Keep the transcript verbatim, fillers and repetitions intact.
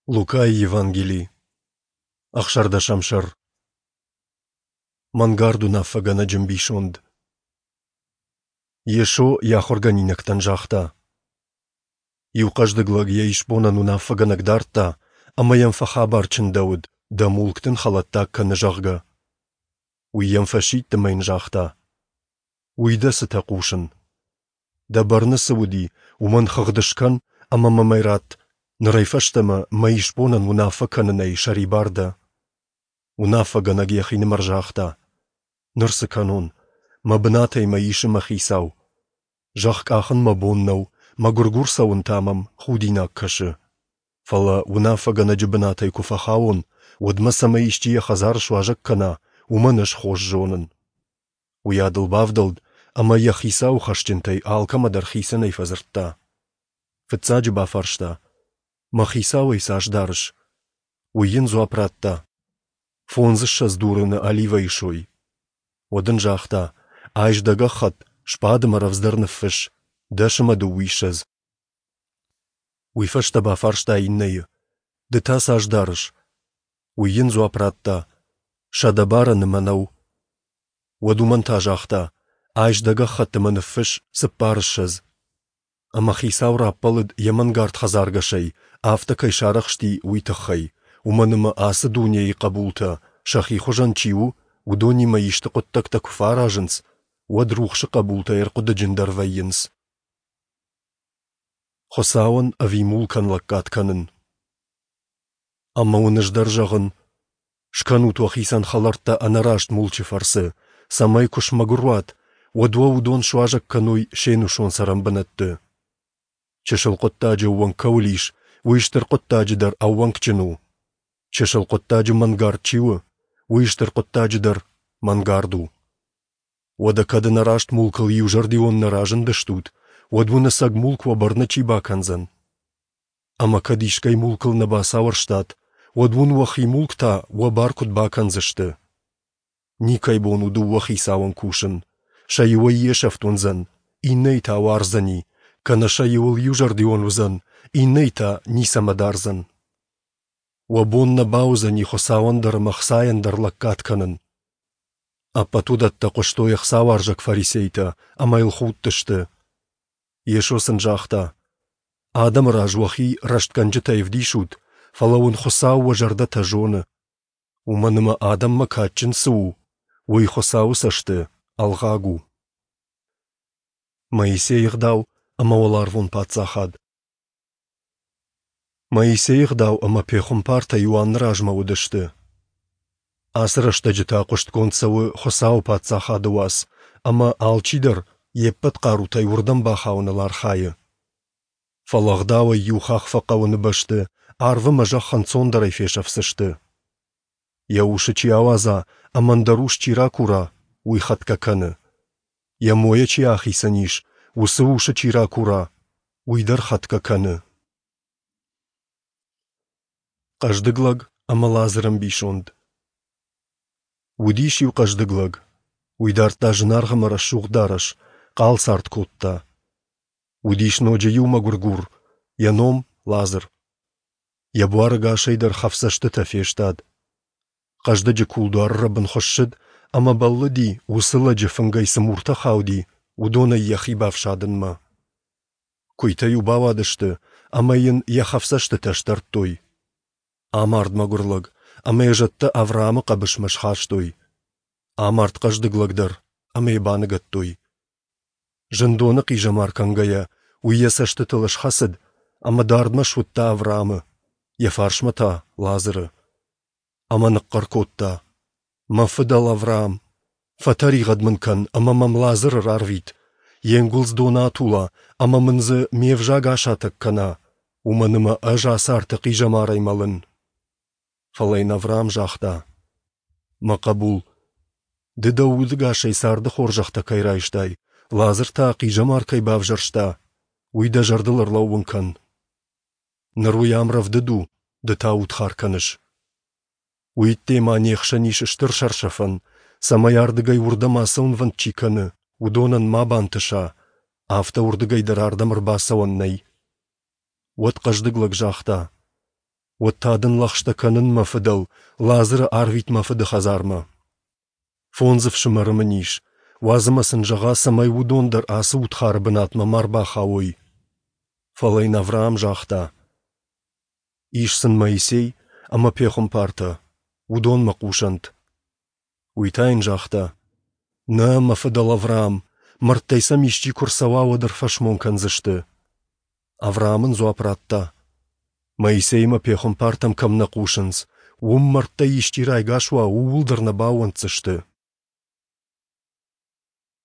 Лукайы Евангели, ӕхсӕрдӕсӕм сӕр. Мӕнгард уынаффӕгӕнӕджы ӕмбисонд. Йесо йӕ ахуыргӕнинӕгтӕн загъта: Иу хъӕздыг лӕг йӕ исбонӕн уынаффӕгӕнӕг дардта, ӕмӕ йӕм фӕхабар чындӕуыд, дӕ мулк дын хӕлӕттаг кӕны, зӕгъгӕ. Уый йӕм фӕсидт ӕмӕ йын загъта: Уый дӕ цытӕ хъусын? Дӕ бӕрны цы уыди, уымӕн хыгъд скӕн ӕмӕ мӕм ӕй ратт, нырӕй фӕстӕмӕ мӕ исбонӕн уынаффӕ кӕнынӕй сӕрибар дӕ. Уынаффӕгӕнӕг йӕхинымӕр загъта: Ныр цы кӕнон? Мӕ бынатӕй мӕ исы мӕ хицау. Зӕхх къахын мӕ бон нӕу, мӕгуыргур цӕуын та мӕм худинаг кӕсы. Фӕлӕ уынаффӕгӕнӕджы бынатӕй куы фӕхауон, уӕд мӕ цӕмӕй исчи йӕ хӕдзары суазӕг кӕна, уымӕн ӕз хорз зонын. Уыйадыл бавдӕлд ӕмӕ йӕ хицауы хӕсджынтӕй алкӕмӕ дӕр хицӕнӕй фӕдзырдта. Фыццаджы бафарста: Мӕ хицауӕй цас дарыс? Уый йын дзуапп радта: Фондзыссӕдз дурыны оливӕйы сой. Уӕд ын загъта: Айс дӕ гӕххӕтт, сбад ӕмӕ рӕвдздӕр ныффысс, дӕс ӕмӕ дыууиссӕдз. Уый фӕстӕ бафарста иннӕйы: Ды та цас дарыс? Уый йын дзуапп радта: Сӕдӕ барӕны мӕнӕу. Уӕд уымӕн та загъта: Айс дӕ гӕххӕтт ӕмӕ ныффысс цыппарыссӕдз. Ӕмӕ хицау раппӕлыд йӕ мӕнгард хӕдзаргӕсӕй, афтӕ кӕй сарӕхсти, уый тыххӕй, уымӕн ӕмӕ ацы дунейы хъӕбултӕ, сӕхи хуызӕн чи у, уыдонимӕ исты хъуыддӕгтӕ куы фӕаразынц, уӕд рухсы хъӕбултӕ ӕрхъуыдыджындӕр вӕййынц. Хуыцауӕн ӕви мулкӕн лӕггад кӕнын? Ӕмӕ уын ӕз дӕр зӕгъын, скӕнут уӕхицӕн хӕлӕрттӕ ӕнӕраст мулчы фӕрцы, цӕмӕй куы смӕгуыр уат, уӕд уӕ уыдон суазӕг кӕной се нусон цӕрӕнбынӕтты. Чысыл хъуыддаджы ӕууӕнк кӕуыл ис, уый стыр хъуыддаджы дӕр ӕууӕнкджын у. Чысыл хъуыддаджы мӕнгард чи у, уый стыр хъуыддаджы дӕр мӕнгард у. Уӕдӕ кӕд ӕнӕраст мулкыл иузӕрдион нӕ разындыстут, уӕд уын ӕцӕг мулк уӕ бӕрны чи бакӕндзӕн? Ӕмӕ кӕд искӕй мулкыл нӕ бацауӕрстат, уӕд уын уӕхи мулк та уӕ бар куыд бакӕндзысты? Никӕй бон у дыууӕ хицауӕн кусын. Сӕ иуӕй йе сӕфт уындзӕн, иннӕйы та уарздзӕни, кӕнӕ сӕ иуыл иузӕрдион уыдзӕн, иннӕйы та ницӕмӕ дардзӕн. Уӕ бон нӕ бауыдзӕни Хуыцауӕн дӕр ӕмӕ ӕхцайӕн дӕр лӕггад кӕнын. Ӕппӕт уыдӕттӕ хъуыстой ӕхцауарзӕг фарисейтӕ ӕмӕ йыл худтысты. Йесо сын загъта: Адӕмы раз уӕхи рӕстгӕнджытӕй ӕвдисут, фӕлӕ уын Хуыцау уӕ зӕрдӕтӕ зоны. Уымӕн ӕмӕ адӕммӕ кадджын цы у, уый Хуыцауы цӕсты ӕлгъаг у. Моисейы ӕгъдау ӕмӕ уӕларвон паддзахад. Моисейы ӕгъдау ӕмӕ пехуымпартӕ Иоанны размӕ уыдысты. Ацы рӕстӕджы та хъуыстгонд цӕуы Хуыцауы паддзахады уац, ӕмӕ алчидӕр йе ппӕт хъарутӕй уырдӕм бахауыныл архайы. Фӕлӕ ӕгъдауӕй иу хахх фӕхъӕуыны бӕсты арв ӕмӕ зӕхх ӕнцондӕрӕй фесӕфдзысты. Йӕ усы чи ауадза ӕмӕ ӕндӕр ус чи ракура, уый хӕтгӕ кӕны. Йӕ мойӕ чи ахицӕн ис, уыцы усы чи ракура, уый дӕр хӕтгӕ кӕны. Хъӕздыг лӕг ӕмӕ Лазыры ӕмбисонд. Уыдис иу хъӕздыг лӕг. Уый дардта зынаргъ ӕмӕ рӕсугъд дарӕс, хъал цард кодта. Уыдис ноджы иу мӕгуыргур, йӕ ном Лазыр. Йӕ буар ӕгасӕй дӕр хӕфдзӕстытӕ фестад. Хъӕздыджы кулдуары рӕбын хуыссыд ӕмӕ бӕллыди, уыцы лӕджы фынгӕй цы муртӕ хауди, уыдонӕй йӕхи бафсадынмӕ. Куыйтӕ-иу бауадысты ӕмӕ йын йӕ хӕфдзӕстытӕ сдӕрдтой. Амард мӕгуыр лӕг, ӕмӕ йӕ зӕдтӕ Авраамы хъӕбысмӕ схастой. Амард хъӕздыг лӕг дӕр, ӕмӕ йӕ баныгӕдтой. Зындоны хъизӕмар кӕнгӕйӕ, уый йӕ цӕстытыл схӕцыд ӕмӕ дардмӕ суыдта Авраамы, йӕ фарсмӕ та Лазыры. Ӕмӕ ныхъхъӕр кодта: Мӕ фыдӕл Авраам, фӕтӕригъӕд мын кӕн ӕмӕ мӕм Лазыры рарвит, йе нгуылдз доны атула ӕмӕ мын дзы ме взаг асатӕг кӕна, уымӕн ӕмӕ ӕз ацы арты хъизӕмарӕй мӕлын. Фӕлӕ йын Авраам загъта: Мӕ хъӕбул, ды дӕ удыгасӕй царды хорзӕхтӕ кӕй райстай, Лазыр та хъизӕмар кӕй бавзӕрста, уый дӕ зӕрдыл ӕрлӕууын кӕн. Ныр уый ам рӕвдыд у, ды та удхар кӕныс. Уый ӕдде ма не хсӕн ис стыр сӕрсӕфӕн, цӕмӕй ардыгӕй уырдӕм ацӕуынвӕнд чи кӕны, уыдонӕн ма бантыса, афтӕ уырдыгӕй дӕр ардӕм ӕрбацӕуӕн нӕй. Уӕд хъӕздыг лӕг загъта: Уӕд та дын лӕгъстӕ кӕнын, мӕ фыдӕл, Лазыры арвит мӕ фыды хӕдзармӕ. Фондз ӕфсымӕры мын ис, уадз ӕмӕ сын зӕгъа, цӕмӕй уыдон дӕр ацы удхары бынатмӕ ма рбахауой. Фӕлӕ йын Авраам загъта: Ис сын Моисей ӕмӕ пехуымпартӕ, уыдонмӕ хъусӕнт. Уый та йын загъта: Нӕ, мӕ фыдӕл Авраам, мӕрдтӕй сӕм исчи куы рцӕуа, уӕд ӕрфӕсмон кӕндзысты. Авраам ын дзуапп радта: Моисеймӕ пехуымпартӕм кӕм нӕ хъусынц, уым мӕрдтӕй исчи райгас уа, ууыл дӕр нӕ баууӕнддзысты.